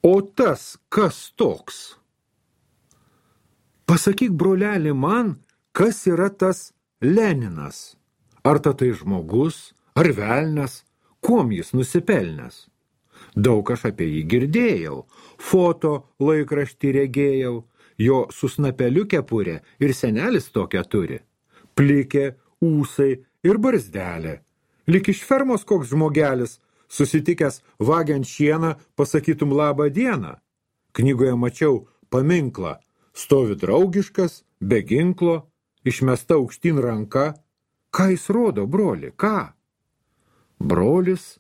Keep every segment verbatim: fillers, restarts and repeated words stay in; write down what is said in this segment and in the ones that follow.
O tas, kas toks? Pasakyk, broleli, man, kas yra tas Leninas? Ar ta tai žmogus, ar velnas, kuom jis nusipelnęs? Daug aš apie jį girdėjau, foto laikraštį regėjau, jo su snapeliu kepurė ir senelis tokią turi. Plikė, ūsai ir barzdelė. Lik iš fermos koks žmogelis, susitikęs vagiant šieną, pasakytum labą dieną. Knygoje mačiau paminklą, stovi draugiškas, be ginklo, išmesta aukštyn ranka. Ką jis rodo, broli, ką? Brolis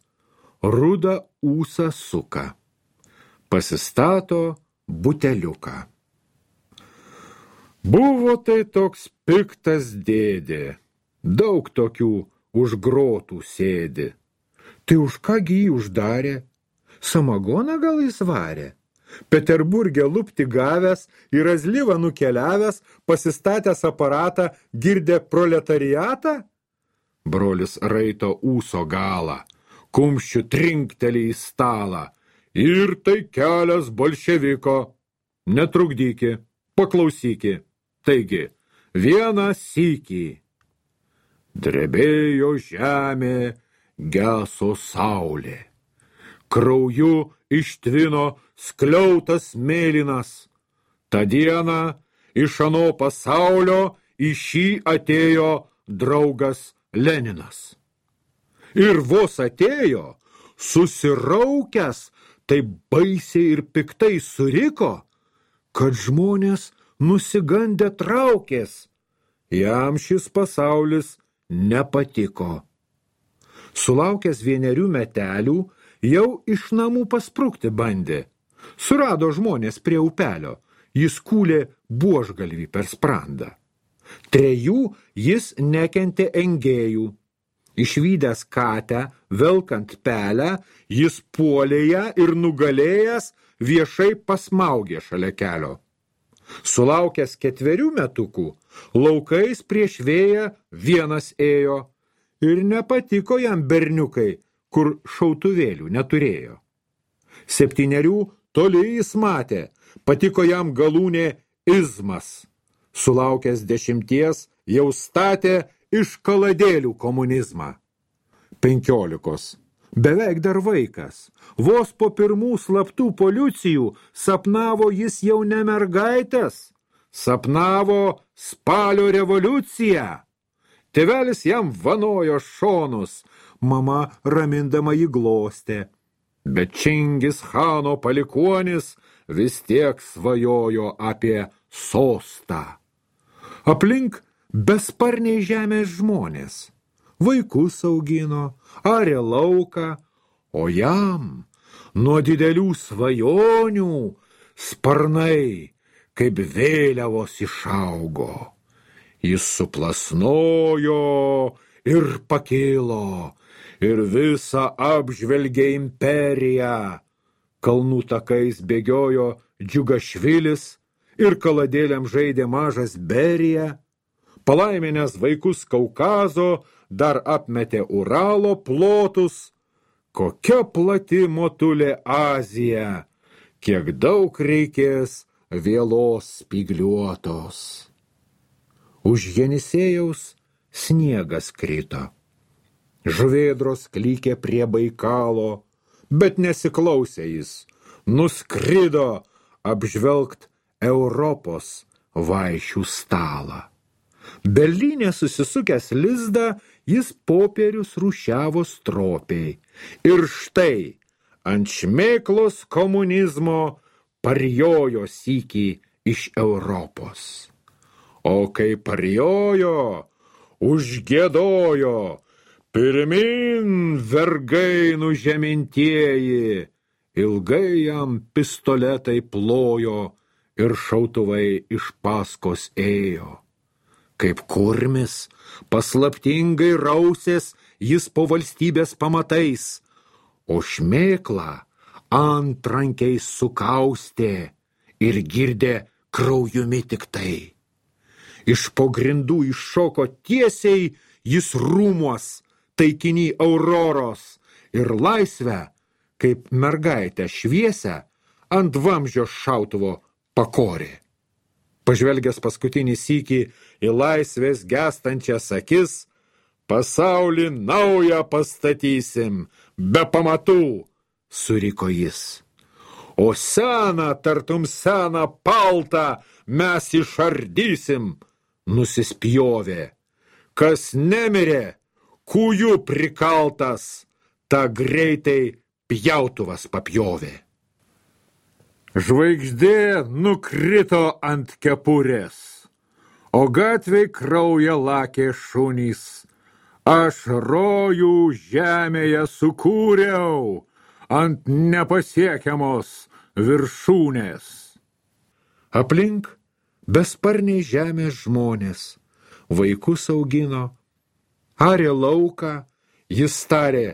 rudą ūsą suka, pasistato buteliuką. Buvo tai toks piktas dėdė, daug tokių už grotų sėdi. Tai už kągi jį uždarė? Samagoną gal jis varė? Peterburge lupti gavęs, į Razlyvą nukeliavęs, pasistatęs aparatą, girdė proletariatą? Brolis raito ūso galą, kumščiu trinktelį į stalą. Ir tai kelias bolševiko. Netrukdyki, paklausyki. Taigi, vieną sykį. Drebėjo žemė, geso saulė. Krauju ištvino skliautas mėlynas. Ta diena iš ano pasaulio į šį atėjo draugas Leninas. Ir vos atėjo, susiraukęs, taip baisiai ir piktai suriko, kad žmonės nusigandę traukės. Jam šis pasaulis nepatiko. Sulaukęs vienerių metelių, jau iš namų pasprukti bandė. Surado žmonės prie upelio, jis kūlė buožgalvį per sprandą. Trejų jis nekentė engėjų. Išvydęs katę, velkant pelę, jis puolė ją ir nugalėjęs viešai pasmaugė šalia kelio. Sulaukęs ketverių metukų, laukais prieš vėją vienas ėjo ir nepatiko jam berniukai, kur šautuvėlių neturėjo. Septynerių toli jis matė, patiko jam galūnė izmas. Sulaukęs dešimties jau statė iš kaladėlių komunizmą. Penkiolikos. Beveik dar vaikas. Vos po pirmų slaptų policijų sapnavo jis jau ne mergaitės. Sapnavo spalio revoliuciją. Tėvelis jam vanojo šonus, mama ramindama jį glostė. Bet Čingis Chano palikuonis vis tiek svajojo apie sostą. Aplink besparniai žemės žmonės. Vaikus augino, arė lauką, o jam nuo didelių svajonių sparnai kaip vėliavos išaugo. Jis suplasnojo ir pakilo, ir visą apžvelgė imperiją. Kalnų takais bėgiojo Džiugašvilis ir kaladėliam žaidė mažas Berija. Palaiminęs vaikus Kaukazo dar apmetė Uralo plotus. Kokia plati motulė Azija, kiek daug reikės vėlos spygliuotos. Už Jenisėjaus sniegas krito. Žuvėdros klykė prie Baikalo, bet nesiklausė jis. Nuskrido apžvelgt Europos vaišių stalą. Berlyne susisukęs lizdą, jis popierius rūšiavo stropiai. Ir štai ant šmėklos komunizmo parjojo sykį iš Europos. O kai parjojo, užgiedojo, pirmin vergai nužemintieji, ilgai jam pistoletai plojo ir šautuvai iš paskos ėjo. Kaip kurmis, paslaptingai rausės jis po valstybės pamatais, o šmėklą antrankiais sukaustė ir girdė kraujumi tik tai. Iš po grindų iššoko tiesiai jis rūmuos, taikiny Auroros, ir laisvę, kaip mergaitę šviesę, ant vamzdžio šautuvo pakorė. Pažvelgęs paskutinį sykį į laisvės gęstančias akis, pasaulį naują pastatysim, be pamatų, suriko jis. O seną, tartum seną paltą mes išardysim, nusispjovė. Kas nemirė, kūjų prikaltas, ta greitai pjautuvas papjovė. Žvaigždė nukrito ant kepurės, o gatvėj kraują lakė šunys. Aš rojų žemėje sukūriau ant nepasiekiamos viršūnės. Aplink besparniai žemės žmonės, vaikus augino, arė lauką, jis tarė,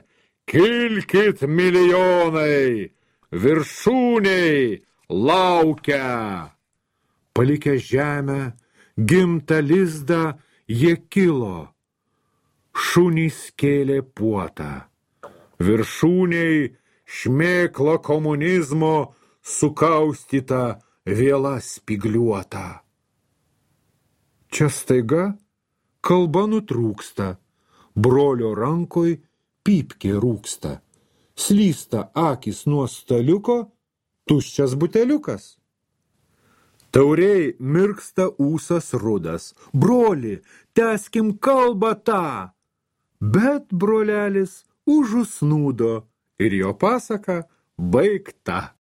kilkit milijonai, viršūniai laukia. Palikę žemę, gimtą lizdą, jie kilo. Šunys kėlė puotą. Viršūniai šmėkla komunizmo sukaustyta vėla spigliuota. Čia staiga kalba nutrūksta, brolio rankoj pypkė rūksta. Slysta akys nuo staliuko, tuščias buteliukas. Tauriai mirksta ūsas rudas. Broli, tęskim kalbą tą. Bet brolelis užusnūdo ir jo pasaka baigta.